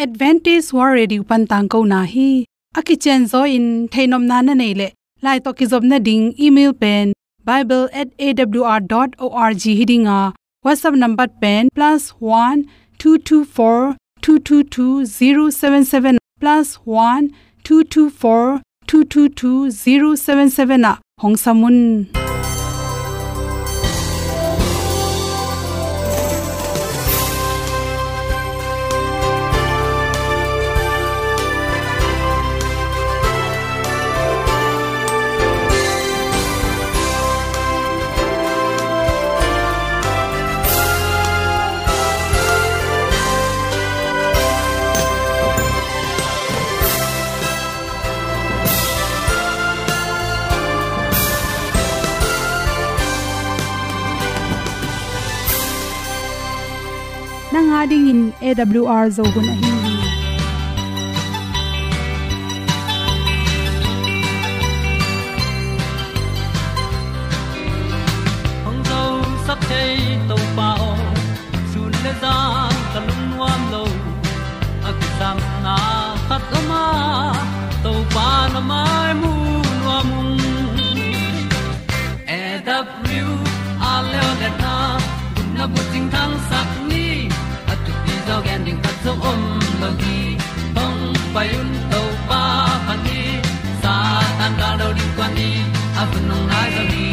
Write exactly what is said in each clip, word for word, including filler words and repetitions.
Adventist World Radio pan tangkona hi. A kicianzaw in theihnopna na neih leh, lai tawh kizopna ding email pen bible at A W R dot org hi ding a, WhatsApp number pen plus one two two four two two two zero seven seven, plus one two two four two two two zero seven seven ah hong sam un. Nang a dingin A W R Zo hun ahi hi. Hong zosak thei Topa aw, sun le zan ka lungnuam lo. A kisapna khat om a, Topa na mai mu nuam ung. A W R Leo le na, gupna bucing thangsak ni, a thupi zaw gen ding khat zong om lo hi. Hong pai un Topa phat ni, Satan gal do ding kuan ni, a hun hong nai zaw hi.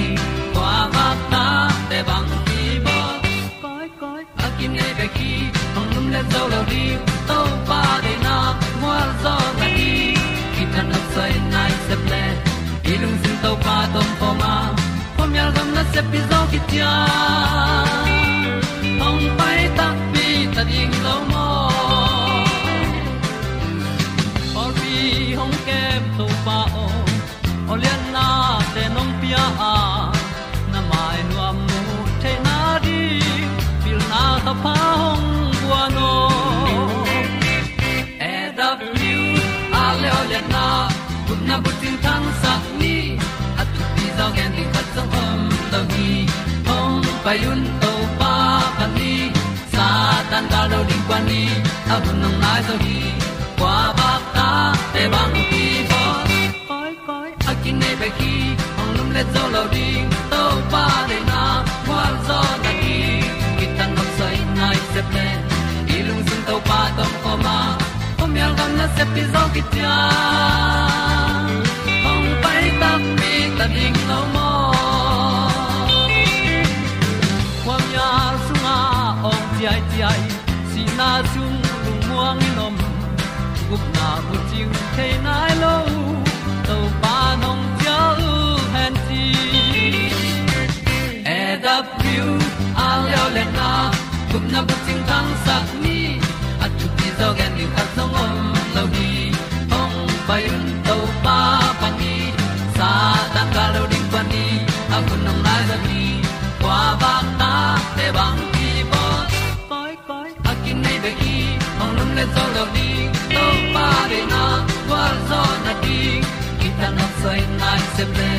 Kua vak ta te bang hi bawl. Koi, koi, a kinei bek hi, hong lum le zo lo ding, Topa deihna mual zaw na hi. Kithat nopsai nai sep le, i lungsim Topa tawh om khawm a, khuamial gam nasep pi zaw khit ciang, hong pai takpi ta ding lo maw. Pawlpi hong kem Topa aw, aw lianna te nong pia a, na mai nuam mu theihna ding, pilna thapha hong guan aw. A W R Leo le na, gupna bucing thangsak ni, a thupi zaw gen ding khat zong om lo hi. Hong pai un Topa phat ni, Satan gal do ding kuan ni, a hun hong nai zaw hi. Kua vak ta te bang hi bawl. Koi, koi, a kinei bek hi, hong lum le zo lo ding, Topa deihna mual zaw na hi. Kithat nopsai nai sep le, i lungsim Topa tawh om khawm a, khuamial gam nasep pi zaw khit ciang, hong pai takpi ta ding lo maw. Khuamial sungah awng ciaiciai, sihna sung lungmuang in om, gupna bucing thei nai lo, Topa nong cial hen ci. A W R Leo le na, gupna bucing thangsak ni, a thupi zaw gen ding khat zong om lo hi. Hong pai un Topa phat ni, Satan gal do ding kuan ni, a hun hong nai zaw hi. Kua vak ta te bang hi bawl. Koi, koi, a kinei bek hi, hong lum le zo lo ding, Topa deihna mual zaw na ding. Kithat nopsai nai sep le,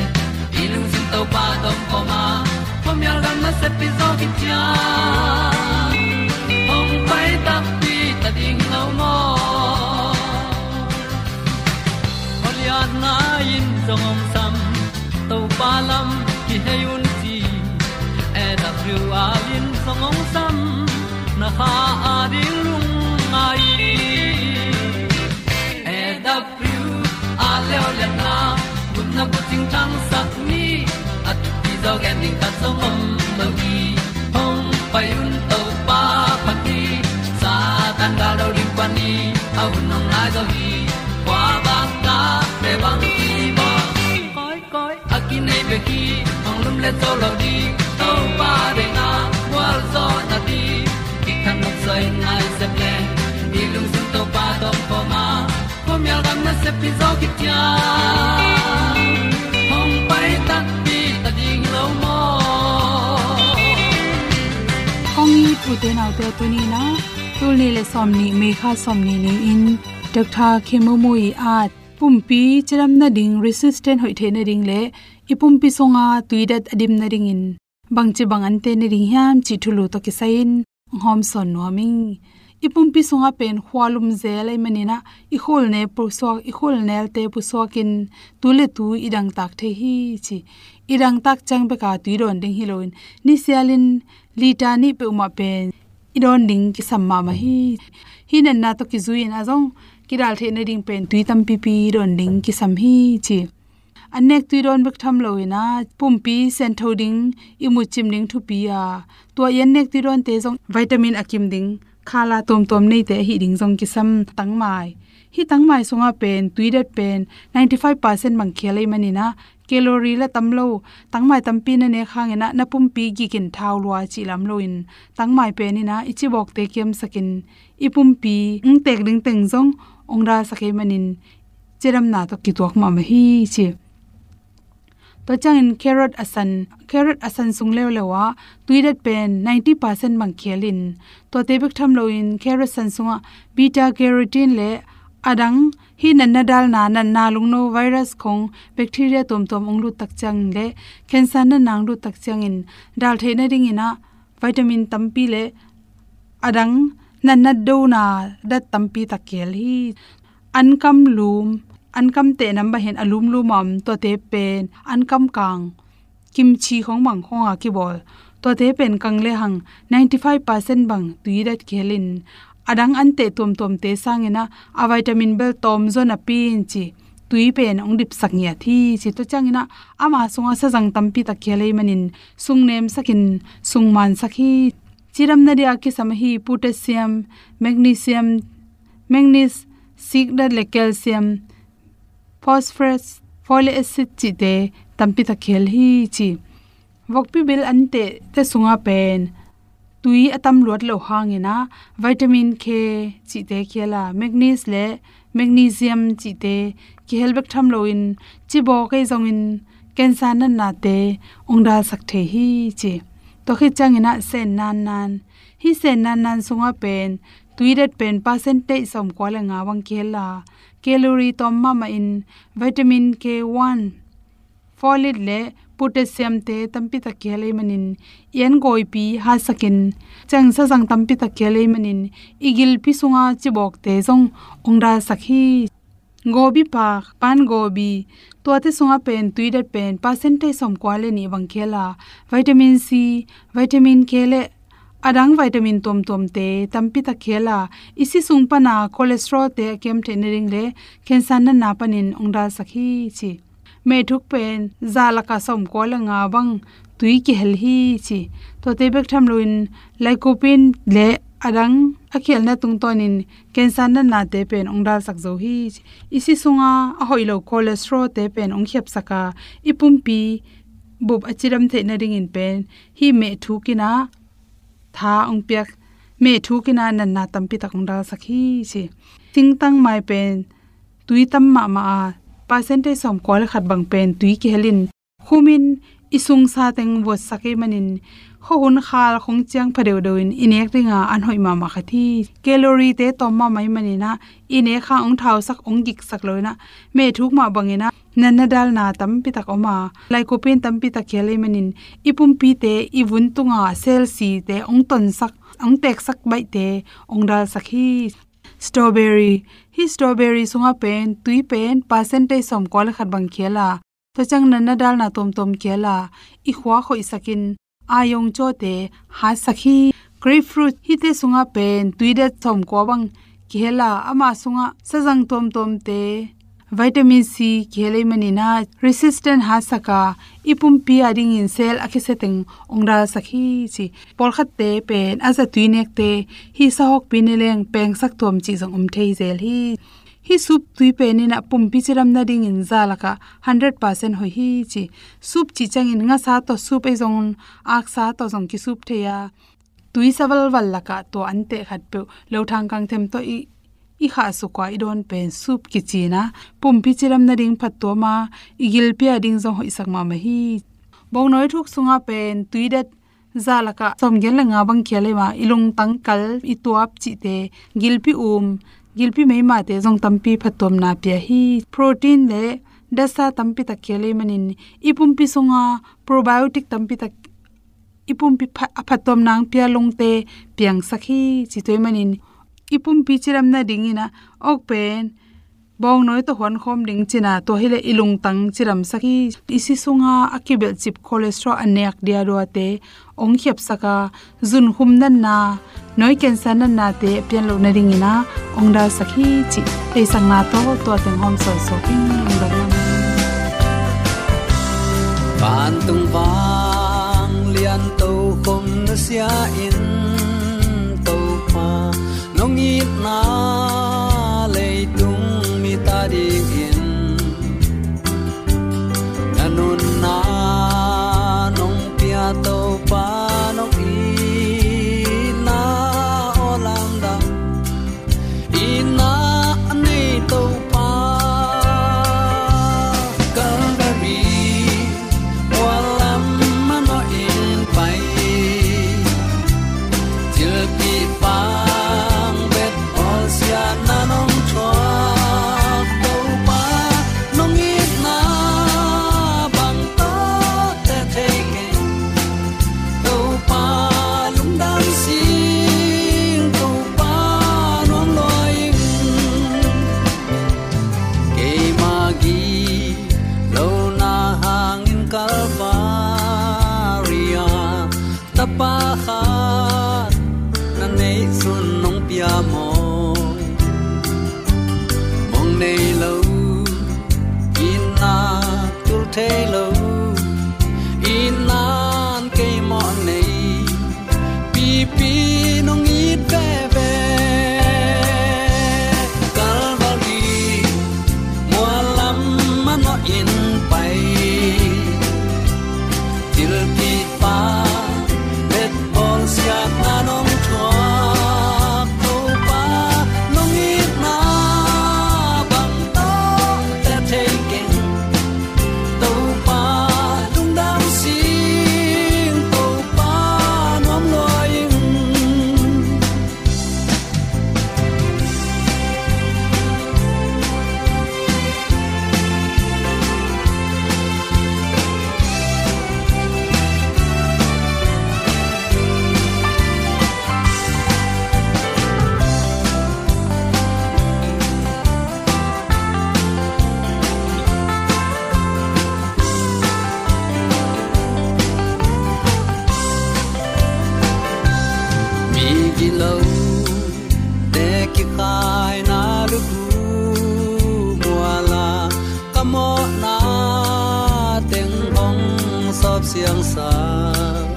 i lungsim Topa tawh om khawm a, khuamial gam nasep pi zaw khit ciang, hong pai takpi ta ding lo maw. Aw lianna in zong hong sam, Topa lam kihei un ci. A W R in zong hong sam, na kha a ding lungngai. A W R Leo le na, gupna bucing thangsak ni, a thupi zaw gen ding khat zong om lo hi. Hong pai un Topa phat ni, Satan gal do ding kuan ni, a hun hong nai zaw hi. Kua vak ta te bang hi bawl. Koi, koi, a kinei bek hi, hong lum le zo lo ding, Topa deihna mual zaw na ding. Kithat nopsai nai sep le, i lungsim Topa tawh om khawm a, khuamial gam nasep pi zaw khit ciang, hong pai takpi ta ding lo maw. Kong it u te nau te, tuni in ah, tul nih le sawmnih, May kha sawmnih ni-in, Doctor Khemumu ii at pumpi cidam nading, resistant hoih theih nading le i pumpi sunga tuidat a dim nadingin bangci bang ante nading hiam cih thulu tawh kisai-in hong hawmsawn nuam ing. I pumpi sungah pen khua lum zel ahih manin ah, i khulnel pusuak, i khulnelte pusuakin tu le tu i dangtak thei hi ci. I dangtak ciang beka tui dawn ding hi loin, nisialin liter nih peuhmah pen i dawn ding kisam mahmah hi. Hih natna tawh kizui-in a zong kidal theih nading pen tui tampipi dawn ding kisam hi ci. Annek tui dawn bek tham loin ah, pumpi siantho ding, ihmut cim ding thupi a, tua i annek tui dawnte zong vitamin a kim ding khala tuamtuam neite ahih ding zong kisam. Tangmai. Hih tangmai sungah pen tuidat pen ninety five percent bang khel ahih manin ah, calorie lah tam lo, tangmai tampi na nek hangin ah na pumpi gikin thau lua cih lam loin, tangmai pen in ah i cibawkte kiamsakin, i pumpi hong tek ding teng zong hong dalsak ahih manin, cidamna tawh kituak mahmah hi ci. Tua ciangin carrot a san, carrot a san sung leuleu ah tuidat pen ninety percent bang khelin, tuate bek tham loin carrot san sungah beta carotene le a dang, hih natna dalna, natna lungno, virus khong, bacteria tuamtuam hong lut tak ciangin le cancer natna hong lut tak ciangin dal theih nadingin ah vitamin tampi le a dang natna dona dat tampi tak khel hi. Ankam lum, ankam teh nam bang hen a lumlum a om, tuate pen ankam kang, kimchi khong bang khong a kibawl, tuate pen kang lehang ninety five percent bang tuidat khelin, a dang an teh tuamtuamte sangin ah a vitamin bel tawm zaw napi-in ci, tui pen hong dipsak ngiat hi ci. Tua ciangin ah ama sungah sazang tampi tak khel ahih manin sung nemsakin sung mansak hi. Cidamna dia kisam ahi potassium, magnesium, manganese, sikdat le calcium, phosphorus, folic acid cihte tampi tak khel hi ci. Vokpi bil an tehte sungah pen tui a tam luat loh hangin ah vitamin K cihte khel a, magnesium le magnesium cihte kihel bek tham loin, cibawk ahi zongin cancer natnate hong dalsak thei hi ci. Tua khit ciangin ah sen nannan. Hih sen nannan sungah pen tuidat pen percentage sawmkua le nga bang kihel a, calorie tawm mahmah in vitamin K one, folate le potassium te tampi tak kihel ahih manin, i an gawipi hatsakin, ciang sazang tampi tak kihel ahih manin, i gilpi sunga cibawkte zong hong dalsak hi. Gobi pak, pan gobi, tuate sungah pen tuidat pen percentage sawmkua le nih bang kihel a, vitamin C, vitamin K le a dang vitamin tuamtuamte tampi tak kihel a, i si sung pana cholesterol te a kiam theih nading le cancer natna panin hong dalsak hi ci. Mehthuk pen za lakah sawmkua le nga bang tui kihel hi ci. Tuate bek tham loin lycopene le a dang a kihelna tungtawnin cancer natnate pen hong dalsak zo hi ci. I si sunga a hoih lo cholesterol te pen hong khiapsak a, i pumpi bup a cidam theih nadingin pen hih mehthuk in ah tha hong piak, mehthuk in ah natna tampi tak hong dalsak hi ci. Singtangmai pen tui tam mahmah a, percentage sawmkua le khat bang pen tui kihelin, khumin i sungsa teng vuatsak ahih manin, khuahun khal khong ciang pha deuhdeuh in i nek dinga an hoih mahmah khat hi. Calorie te tawm mahmah ahih manin ah, i nek hang hong thausak, hong giksak lo in ah, mehthuk mah bangin ah natna dalna tampi tak om a, lycopene tampi tak kihel ahih manin, i pumpite, i vun tunga cell site hong tonsak, hong teksak baihte hong dalsak hi. Strawberry. Hih strawberry sungah pen tui pen percentage sawmkua le khat bang kihel a, tua ciang natna dalna tuamtuam kihel a, i khua khoihsakin, a yong cawte hatsak hi. Grapefruit, hihte sungah pen tuidat sawmkua bang kihel a, ama sungah sazang tuamtuamte, vitamin C kihel ahih manin ah resistant hatsak a, i pumpi a dingin cell a kisia teng hong dalsak hi ci. Pawlkhatte pen a zatui nekte, hih sahawkpi ne leng pengsak tuam cih zong om thei zel hi. Hih soup tui pen in ah pumpi cidam nadingin za lakah hundred percent hoih hi ci. Soup cih ciangin ngasa tawh soup ahi zongin, aksa tawh zong ki soup thei a, tui sa valval lakah tua an teh khatpeuh, lothang kangthem tawh i, i khahsuk a i dawn pen soup kici in ah, pumpi cidam nading phattuam a, i gilpi a ding zong hoihsak mahmah hi. Bawngnawi thuk sungah pen tuidat za lakah sawmgiat le nga bang kihel ahih manin, i lungtang kal, i tuap cihte, gilpi um, gilpi meimate zong tampi phattuamna pia hi. Protein le datsa tampi tak kihel ahih manin, i pumpi sunga probiotic tampi tak, i pumpi pha-, a phattuamna hong pia lungte piangsak hi ci. Tua ahih manin i pumpi cidam nadingin ah, awk pen bawngnawi tawh huankhawm ding cina, tua hileh i lungtang cidamsak hi. I si sunga a kibelhcip cholesterol a nek diaduate hong khiapsak a, zunkhum natna, nawi cancer natnate a pian loh nadingin ah hong dalsak hi cih theihsakna tawh tua teng hawm sawnsuak in lungdam lam. Vantung vanglian tokhom nusia in, Topa nong itna leitung mite adingin na nunna nong pia, Topa nong itna aw lamdang. Itna a nei Topa, Calvary mual lam manawhin pai, thilpih pang bet bawlsiatna nong thuak, Topa nong itna bang tawh teh thei keng. Topa lungdam sing, Topa nuam lua ing. Keima gilo na hangin Calvary ah tapa khat na neih sun nong pia maw? Mong nei lo, itna tul thei lo, itna'n kei mawh nei, pipi nong it veve. Calvary mual lam manawhin pai, thilpih pang bet bawlsiatna nong thuak, Topa nong itna bang tawh teh thei keng. Topa lungdam sing, Topa nuam lua ing. Mi gilo te kikhaina lukhu mual ah ka mawhna teng hong sawp siangsak,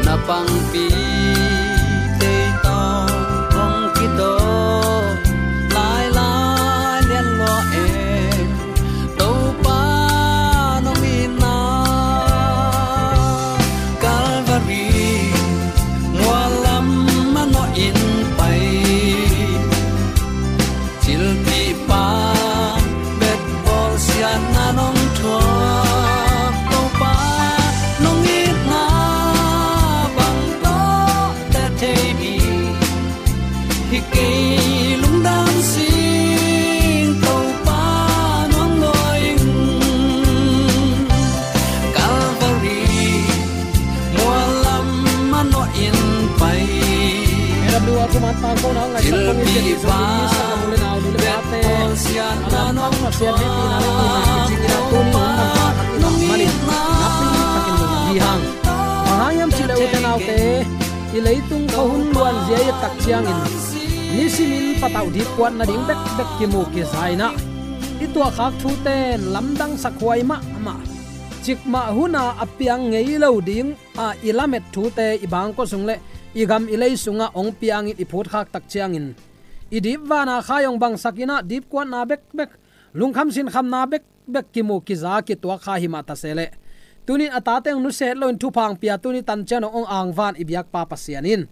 na pangpi tei tawh hong kitawk lailai lian lua e. Topa nong itna Calvary mual lam manawhin pai, thilpih pang bet bawlsiatna nong thuak, Topa nong itna bang tawh teh thei mi hi kei. Lungdam sing, Topa nuam lua ing. Calvary mual lam manawhin pai, A W R kuman tangkona ngaihsak kong in, thilpih pang bet bawlsiatna nong thuak, Topa nong itna bang tawh teh thei mi hi kei. Bang hang hiam cih leh u te nau te, i leitung khuahun luanzia i et tak ciangin nisimin patauh dipkuat nading bekbek kimu kiza in ah, i tuahkhak thute in lamdangsak huai mahmah. Cikmah hun a a piang ngei lo ding a i lamet thute i bangkua sung leh i gam i lei sungah hong piangin i phutkhak tak ciangin, i dip van a khai hong bangsak in ah dipkuatna bekbek, lungkham sinkhamna bekbek kimu kiza kituak kha hi mah ta se leh, tuni in a tate hong nusia het loin thupha hong pia, tuni tan ciang dong hong angvan i biakpa Pasian in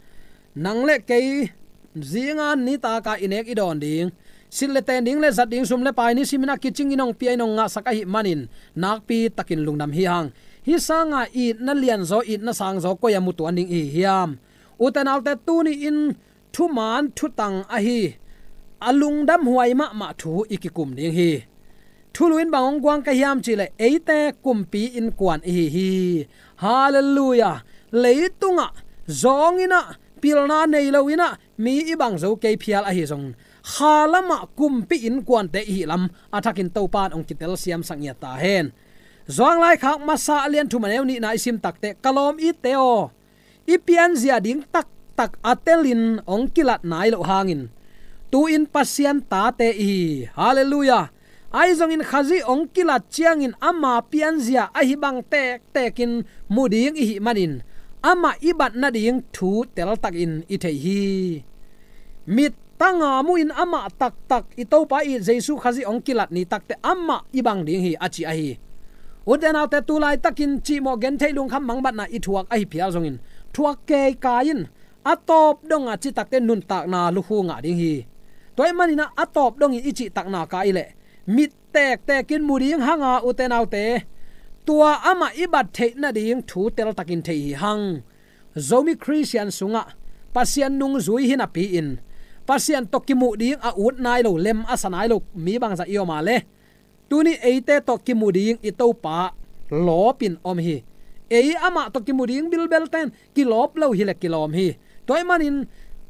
nang leh kei zinga nitak a i nek i dawn ding, silh leh ten ding leh zat ding sum leh pai nisimin a kicingin hong pia in hong ngahsak ahih manin nakpi takin lungdam hi hang. Hih sanga itna lianzaw, itna sangzaw koi-ah mutuan ding i hi hiam? U te nau te, tuni in thuman thutang ahi a lungdam huai mahmah thu i kikum ding hi. Thulu in bang hong guang ka hiam cih leh, eite kumpi innkuan i hi hi. Halleluiah. Leitungah zawng in ah pilna nei lo in ah mi i bang zo kei phial ahi zong, kha lamah kumpi innkuante i hih lam a thakin Topa in hong kitelsiamsak ngiat ta hen. Zuang Laikhak Masa a lian thum a neu nihna i sim takteh, ka lawm itte aw, i pianzia ding taktak a telin hong kilat nai loh hangin tu-in Pasian tate i hi. Halleluiah. Ahi zongin Khazih hong kilat ciangin ama pianzia ahi bang tektekin mu ding i hih manin amah i bat nading thu teltakin i thei hi. Mittanga mu-in amah taktak i Topa i Jesu Khazih hong kilat ni takteh amah i bang ding hi, a ci ahi. Ute naute, tu laitakin cihmawh gentheih lungkham mangbatna i thuak ahi phial zongin, thuak keikai in a tawp donga cih takteh nuntakna lukhu ngah ding hi. Tua ahih manin ah a tawp dongin i cihtakna ka i leh mit tektekin mu ding hanga, ute naute, tua amah i bat theih nading thu teltakin thei hi hang. Zomi Khristian sungah Pasian nungzui hi napi-in Pasian tawh kimuh ding a ut nai lo, lem a sa nai lo mi bangzah i om a leh, tuni eite tawh kimu ding i Topa lawpin om hi. Ei amah tawh kimu ding bilbelten kilawp lo hileh kilawm hi. Tua ahih manin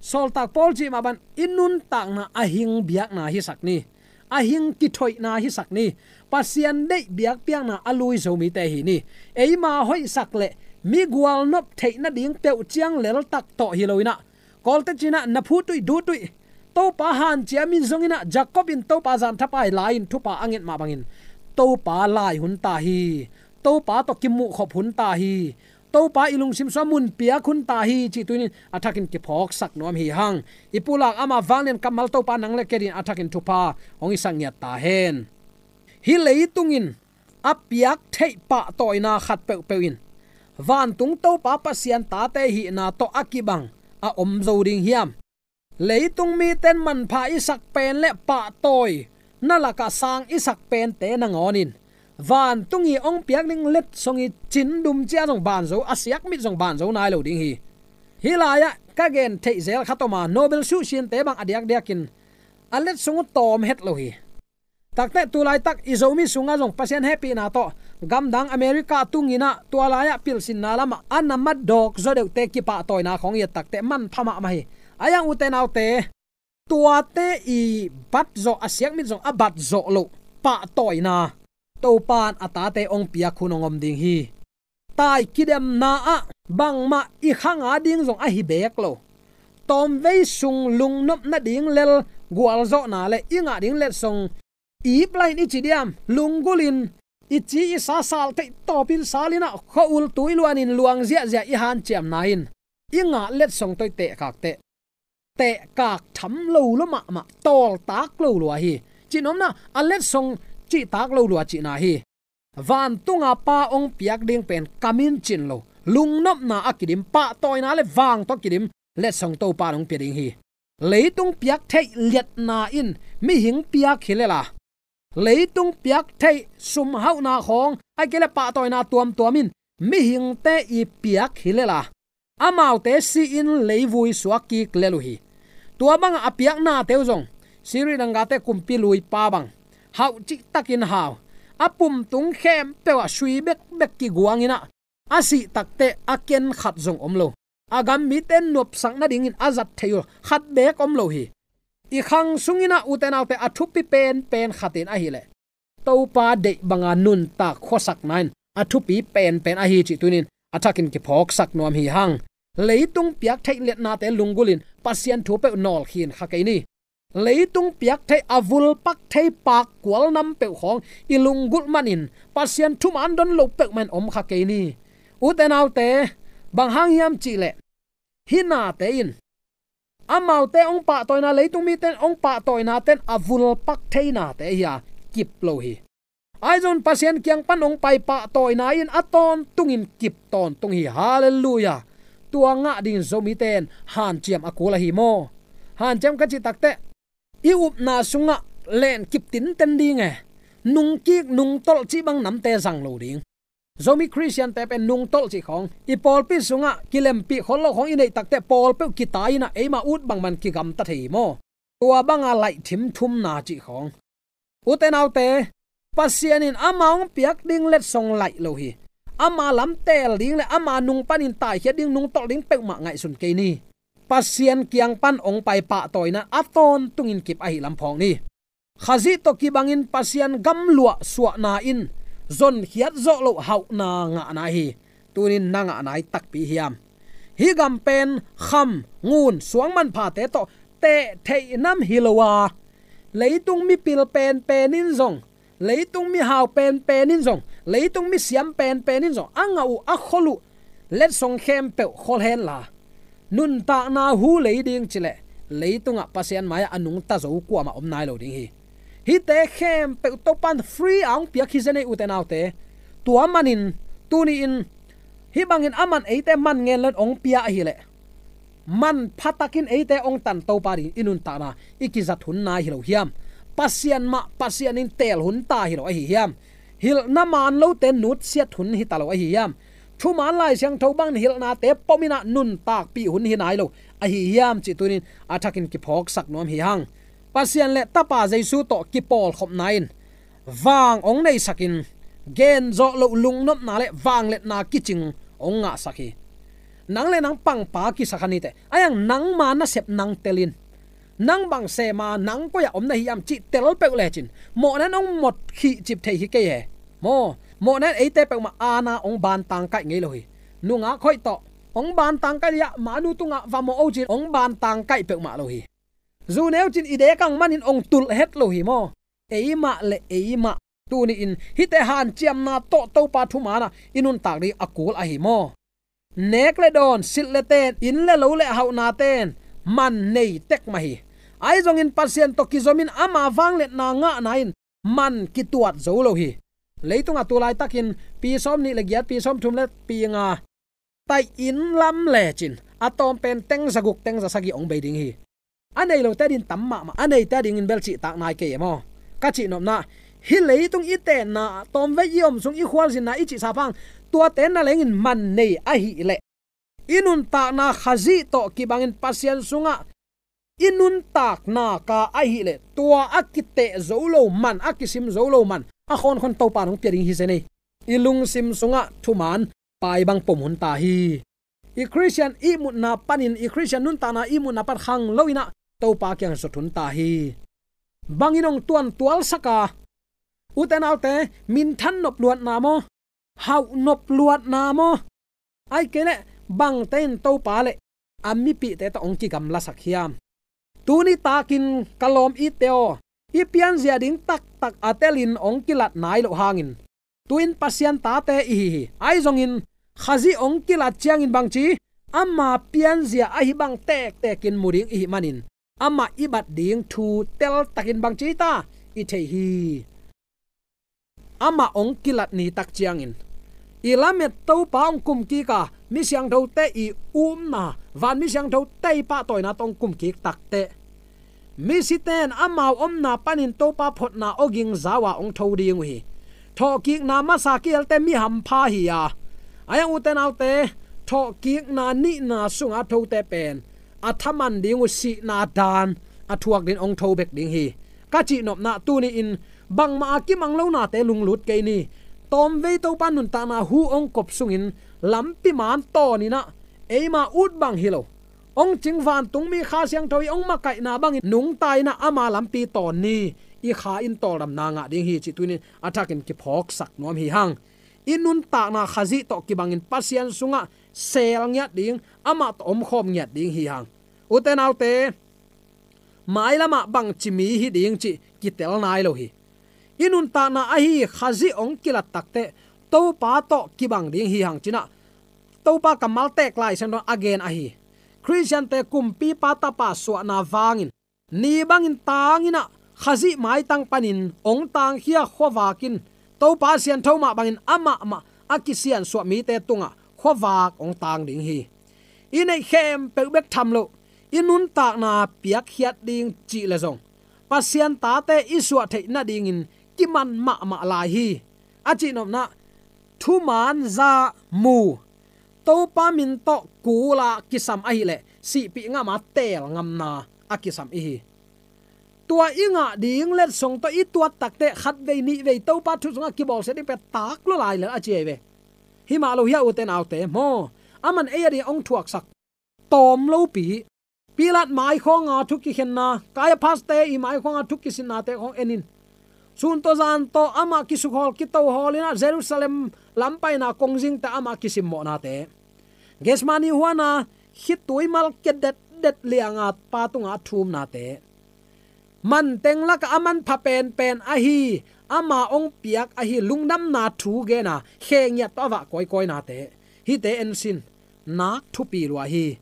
Sawltak Paul cih mah bang i nuntakna a hing biakna hisak ni. A hing kithoihna hisak ni. Pasian deih biakpiakna a lui Zomite hi ni. Eima hoihsak le mi gualnop theih nading peuh ciang leltak tawh hi lo in ah, Kawlte cih in ah, na phutuih dutuih Topa hanciam in zong in ah, Jacob in Topa zanthapai lai-in thupha a nget mah bangin Topa lai hun ta hi. Topa tawh kimuhkhop hun ta hi. Topa i lungsim sungah mun piak hun ta hi, cih tuni-in a thakin kiphawksak nuam hi hang. I pulak ama vanglian kammal Topa nang le kei dingin a thakin thupha hong hisak ngiat ta hen. Hih leitung in a piak theih pahtawina khat peuhpeuh in vantung Topa Pasian tate hihna tawh a kibang a om zo ding hiam? Leitung mite in manpha i sak pen le pahtawina lakah sang i sak pente nangawn in vantung i hong piak ding letsong i cindum cia zong ban zo, a siakmit zong ban zo nai lo ding hi. Hih lai-ah ka gen theih zel khat om a, Nobel suhsinte bang a diakdiakin a letsong uh tawm het lo hi. Takteh tu laitak i Zomi sungah zong Pasian hehpihna tawh gamdang America tungin ah tua lai-ah pilsinna lamah a na mat dawk zaw deuhte kipahtawina khawng i et takteh manpha mahmah hi. Ahi hang ute naute, tuate i bat zawh, a siakmit zong a bat zawh loh pahtawina Topa in a tate hong piak hun hong om ding hi. Tai kidemna ah bangmah i khang a ding zong ahi beek lo. Tawmvei sung lungnop nading lel gualzawhna le i ngah ding letsong ip lai-in i ci diam, lunggulhin i ci i sa sal theih tawpin salin ah khua-ul tui luanin luang ziahziah i hanciamna in i ngah letsong tawh i tehkak teh, tehkak tham lo lua mahmah, tawltak lo lua hi. Cihnopna a letsong cihtak lo lua cihna hi. Vantunga Pa hong piak ding pen kam in cin lo, lungnopna a kidim, pahtawina le vang tawh kidim letsong Topa in hong pia ding hi. Leitung piak theih liatna in mihing piak hi lel a, leitung piak theih sumhauhna khawng, ahih kei leh pahtawina tuamtuam in mihingte i piak hi lel a, amaute si-in leivui suak kik lel uh hi. Tua bangah a piaknate uh zong, Siri danggate kumpi luipa bang, hauh cihtakin hau, a pumtung khempeuh ah sui bekbek kiguangin ah, a sih takteh a ken khat zong om lo. A gam mite in nopsak nadingin a zat thei uh khat beek om lo hi. I khang sungin ah ute naute, a thupi penpen khat in ahih leh Topa deih banga nuntak khuasakna in a thupi penpen ahi cih tuni-in a thakin kiphawksak nuam hi hang. Leitung piak theih liatnate lunggulhin Pasian thu peuh nawlkhin kha kei ni. Leitung piak theih a vulpak thei pak kual nam peuh khawng i lunggulh manin Pasian thuman don lo peuhmah in om kha kei ni. Ute naute, bang hang hiam cih leh hih nate in amaute hong pahtawina, leitung mite in hong pahtawina ten a vulpak thei nate hi a, kip lo hi. Ahi zongin Pasian kiang pan hong pai pahtawina in a tawntungin kip tawntung hi. Halleluiah. Tua ngah dingin Zomite in hanciam a kul ahi maw? Hanciam ka cih takteh i upna sungah len kip tinten ding e. Nungkik nungtolh cih bang namte zang lo ding. Zomi Khristiante pen nungtolh cih khawng, i pawlpi sungah kilempih khol lo khawng i neih takteh pawl peuh kitai in ah eima ut bangbang kigamta thei hi maw? Tua banga laih thimthumna cih khawng. Ute naute, Pasian in ama hong piak ding letsong laih lo hi. Ama lam teel ding le ama nung panin taikhiat ding, nungtolh ding peuhmah ngaihsun kei ni. Pasian kiang pan hong pai pahtawina a tawntungin kip ahi lam phawk ni. Khazih tawh kibangin Pasian gamluah suahna in zonkhiat zawh loh hauhna ngahna hi. Tunin na ngahna hi takpi hiam? Hih gam pen kham, ngun, suang manphate tawh teh theih nam hi lo a, leitung mipil penpen in zong, leitung mihau penpen in zong, leitung misiam penpen in zong a ngah uh, a khol uh letsong khempeuh khol henla, nuntakna hu lei ding cileh leitungah Pasian mai-ah a nungta zo kuamah om nai lo ding hi. Hihte khempeuh Topan free a hong piak hi zen ei, ute naute. Tua manin tuni-in hih bangin aman eite man ngen lo-in hong pia ahileh, manpha takin eite hong tan Topa dingin i nuntakna i kizat hun nai hi lo hiam? Pasian mah Pasian in teel hun ta hi lo ahi hiam? Hilhna man lote nutsiat hun hi ta lo ahi hiam? Thuman Lai Siangtho bangin hilhnate pom in ah nuntakpih hun hi nai lo ahi hiam cih tunin a thakin kiphawksak nuam hi hang. Pasian le Tapa Jesu tawh kipawlkhopna in vang hong neisakin, genzawh loh lungnopna le vangliatna kicing hong ngahsak hi. Nang le nang pangpa kisak a nite, a iang nangma nasep nang telin, nang bang sema nang koi-ah om na hi hiam cih tel peuh lecin mawhna in hong mot khihcip thei hi kei he. Maw, mawhna in eite peuhmah aana hong bantang kaih ngei lo hi. Nungak hoih tawh hong bantang kaih liah, manu tungah va mawh o cin hong bantang kaih peuhmah lo hi. Zu neu cin i dek ang manin hong tulh het lo hi maw? Eimah le eimah tuni-in hihte hanciamna tawh Topa thuman ah i nuntak ding a kul ahi maw? Nek le dawn, silh le ten, inn le lo le hauhna ten man nei tek mah hi. Ahi zongin Pasian tawh kizomin ama vangliatna ngahna in man kituat zo lo hi. Leitungah tu laitakin pi sawm nih le giat, pi sawm thum le pi nga taih inn lam lecin a tawm pen teng za guk, teng za sagih hong bei ding hi. A nei lote dingin tam mahmah, a neite dingin bel cihtak nai kei e maw? Ka cih nopna, hih leitung i tenna, tawmvei i om sung, i khualzinna i cihsa phang, tuate nalengin man nei ahileh, i nuntakna Khazih tawh kibangin Pasian sungah i nuntakna ka ahileh, tua a kiteh zo lo man, a kisim zo lo man a khawnkhon Topa in hong pia ding hi zen ei. I lungsim sungah thuman pai bang pom hun ta hi. I Khristian ihmutna panin, i Khristian nuntakna ihmutna pan khang lo in ah Topa kiang zot hun ta hi. Bangin hong tuantualsak a, ute naute, minthan nop luatna maw? Hauh nop luatna maw? Ahih kei leh bangte in Topa le a mipihte tawh hong kigamlasak hiam? Tuni takin ka lawm itte aw, i pianzia ding taktak a telin hong kilat nai loh hangin, tu-in Pasian tate i hi hi. Ahi zongin Khazih hong kilat ciangin bangci, ama pianzia ahi bang tektekin mu ding i hih manin, amah i bat ding thu teltakin bangci ta i thei hi. Amah hong kilat ni tak ciangin, i lamet Topa hong kumkik a, mi siangthote i upna, van mi siangthote i pahtawina tawh hong kumkik takteh, misite in amau omna panin Topa photna awging zau a hong tho ding uh hi. Thawhkikna masa kihelte mi hampha hi a, a iang ute naute, thawhkikna nihna sunga thote pen a thaman ding uh sihna dan a thuak dingin hong tho bek ding hi. Ka cih nopna, tuni-in bangmah a kimang lonate lunglut kei ni. Tawmvei Topa nuntakna hu hong kop sungin lampi man tawn in ah, eima ut bang hi lo, hong cing vantungmi Kha Siangtho i hong makaihna bangin nungta in ah ama lampi tawn ni. I kha in tawldamna ngah ding hi cih tuni-in a thakin kiphawksak nuam hi hang. I nuntakna Khazih tawh kibangin Pasian sungah seel ngiat ding, amah tawh omkhawm ngiat ding hi hang. Ute naute, mailamah bangci mi hi ding cih kitel nai lo hi. I nuntakna ahi Khazih hong kilat takteh Topa tawh kibang ding hi hang ci-in ah Topa kammal tek Lai Siangtho a gen ahi. Khristiante kumpipa tapa suahna vangin ni bangin tang in ah Khazih maitang panin hong tangkhia khuavak in Topa siantho mah bangin amah mah a kisiansuah mite tungah khuavak hong tang ding hi. I neih khempeuh bek tham loh, i nuntakna piakkhiat ding cih leh zong Pasian tate i suah theih nadingin kiman mahmah lai hi. A cih nopna, thuman za mu, Topa min tawh kul a kisam ahileh sihpih ngam a teel ngamna a kisam i hi. Tua i ngah ding letsong tawh i tuat takteh khatvei nihvei Topa thu sungah kibawlsia ding pen tak lua lai lel a ci ei ve. Hi mah lo hi a, ute naute, maw? Aman ei a ding hong thuaksak tawm lopi Pilat maikhawnga thu kikhenna, Kaiaphaste i maikhawnga thu kisinnate khawng en in. Sun tawh zan tawh amah kisukhawl kitohawl in ah Jerusalem lampaina kongzingte amah kisimmawhnate, Gethsemane huana khitui mal kia detdet lianga Pa tungah a thumnate, manteng lakah a manpha penpen ahi, ama hong piak ahi lungdamna thu gena khe ngiat tawh a vah kawikawinate, hihte en sin, nak thupi lua hi.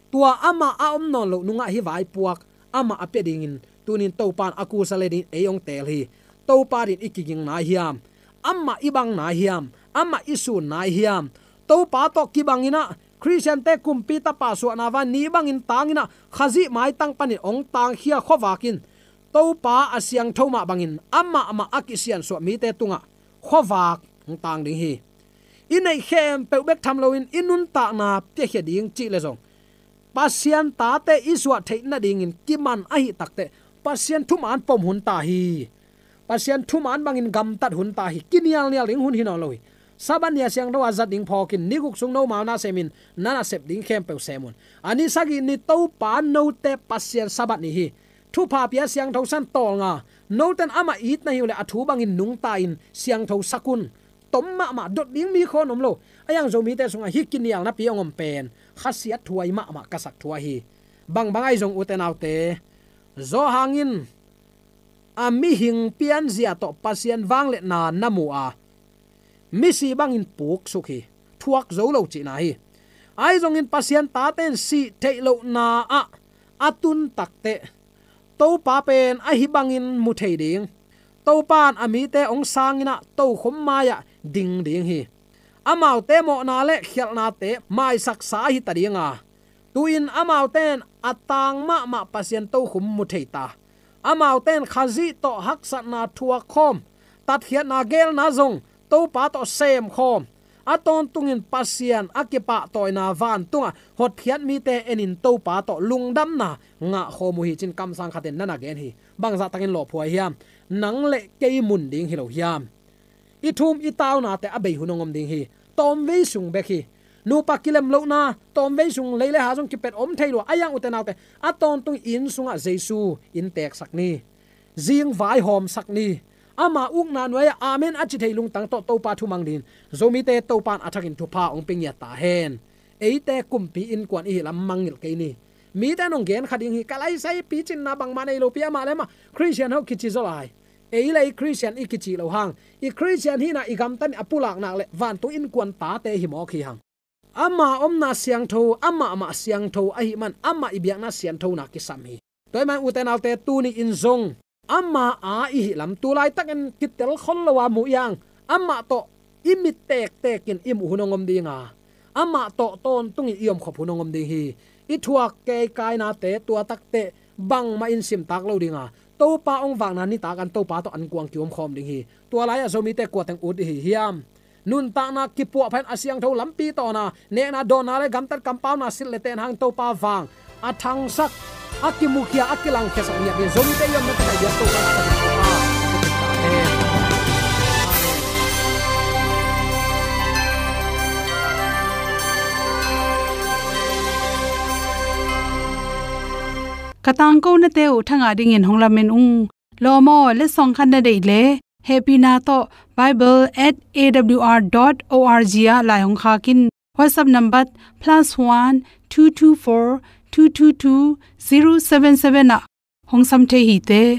Tua amah a om nawn loh nungah hih vaipuak amah a pia dingin tunin Topa in a kusa le dingin ei hong teel hi. Topa dingin i kiging nai hiam? Amah i bang nai hiam? Amah i sun nai hiam? Topa tawh kibangin ah Khristiante kumpi tapa suahna vai ni bangin tangin ah Khazih maitang panin hong tangkhia khuavak in Topa a siangtho mah bangin amah mah a kisiansuah mite tungah khuavak hong tang ding hi. I neih khempeuh bek tham loin i nuntakna piakhia ding cih le zong Pasian tate i suah theih nadingin kiman ahi takteh Pasian thuman pom hun ta hi. Pasian thuman bangin gamtat hun ta hi. Kinialnial ding hun hi nawn lo hi. Sabbath ni a siangtho a zat ding phawkin ni guk sung nomau na semin na nasep ding khempeuh sem un. A ni sagih ni Topa note Pasian Sabbath ni hi. Thupha pia siangtho san tawlnga. Noten amah it na hi uh leh a thu bangin nungta in siangtho sak un. Tom mahmah dot ding mi khawn om lo. A iang Zomite sungah hih kinialnapi hong om pen khasiat thuai mahmah ka sak thuai hi. Bangbang ahi zong ute naute, Johan in a mihing pianzia tawh Pasian vangliatna na mu a, misi bangin puksuk hi. Thuak zo lo cihna hi. Ahi zongin Pasian tate in sih theih lohna ah a tun takteh Topa pen ahi bangin mu thei ding. Topa in a mite hong sangin ah tokhom mai-ah ding ding hi. Amaute mawhna le khialhnate maisaksa ahi ta ding a, tu-in amaute in a tang mahmah Pasian tokhom mu thei ta. Amaute in Khazih tawh haksatna thuak khawm, tatkhiatna geelna zong Topa tawh sem khawm, a tawntungin Pasian a kipahtawina vantungah hotkhiat mite enin Topa tawh lungdamna ngah khawm uh hi, ci-in kamsang khatin na na gen hi. Bangzah takin lawphuai hiam? Nang le kei mun ding hi lo hiam? I thum i taunate a bei hun hong om ding hi. Tawmvei sung bek hi. Nupa kilem lohna tawmvei sung lei le ha zong kipet om thei lua. A iang ute naute, a tawntung inn sungah Jesu innteeksak ni. Zing vaihawmsak ni. Ama ukna nuai-ah amen a ci thei lungtang tawh Topa thumang dingin Zomite Topa in a thakin thupha hong pia ngiat ta hen. Eite kumpi innkuan i hih lam mangngilh kei ni. Mite in hong gen kha ding hi. Ka laisai picinna bangmah nei lopi amah le amah Khristian ho kici zaw lai. Ei le ei Khristian i kici lo hang, i Khristian hihna i gamtat in a pulak nak leh vantung innkuan tate hi mawk hi hang. Ama omna siangtho, amah mah siangtho ahih man amah i biakna sianthona kisam hi. Tua ahih man ute naute, tuni in zong ama a i hih lam tu laitakin kitel khol lo a muh iang, amah tawh i mit tektekin i muh hun hong om ding a, amah tawh tawntungin i omkhop hun hong om ding hi. I thuak keikainate tua takteh bangmah in simtak lo ding a, Topa hong vakna nitak an Topa tawh an kuang kiomkhawm ding hi. Tua lai-ah Zomite kuateng ut i hi hiam? Nuntakna kipuahpha in a siangtho lampi tawna nekna dawnna le gamtat kampauna silh le ten hang Topa vang a thangsak, a kimukhia, a kilangkhiasak ngiat dingin Zomite i omna takah i biak Topa na takah Topa. Ka tangkonate uh thangah dingin hong lamen ung. Lawm aw, letsong khat na deih leh hehpihna tawh bible at A W R dot O R G ah lai hong khak in. WhatsApp number plus one two two four two two two zero seven seven ah hong sam thei hi te.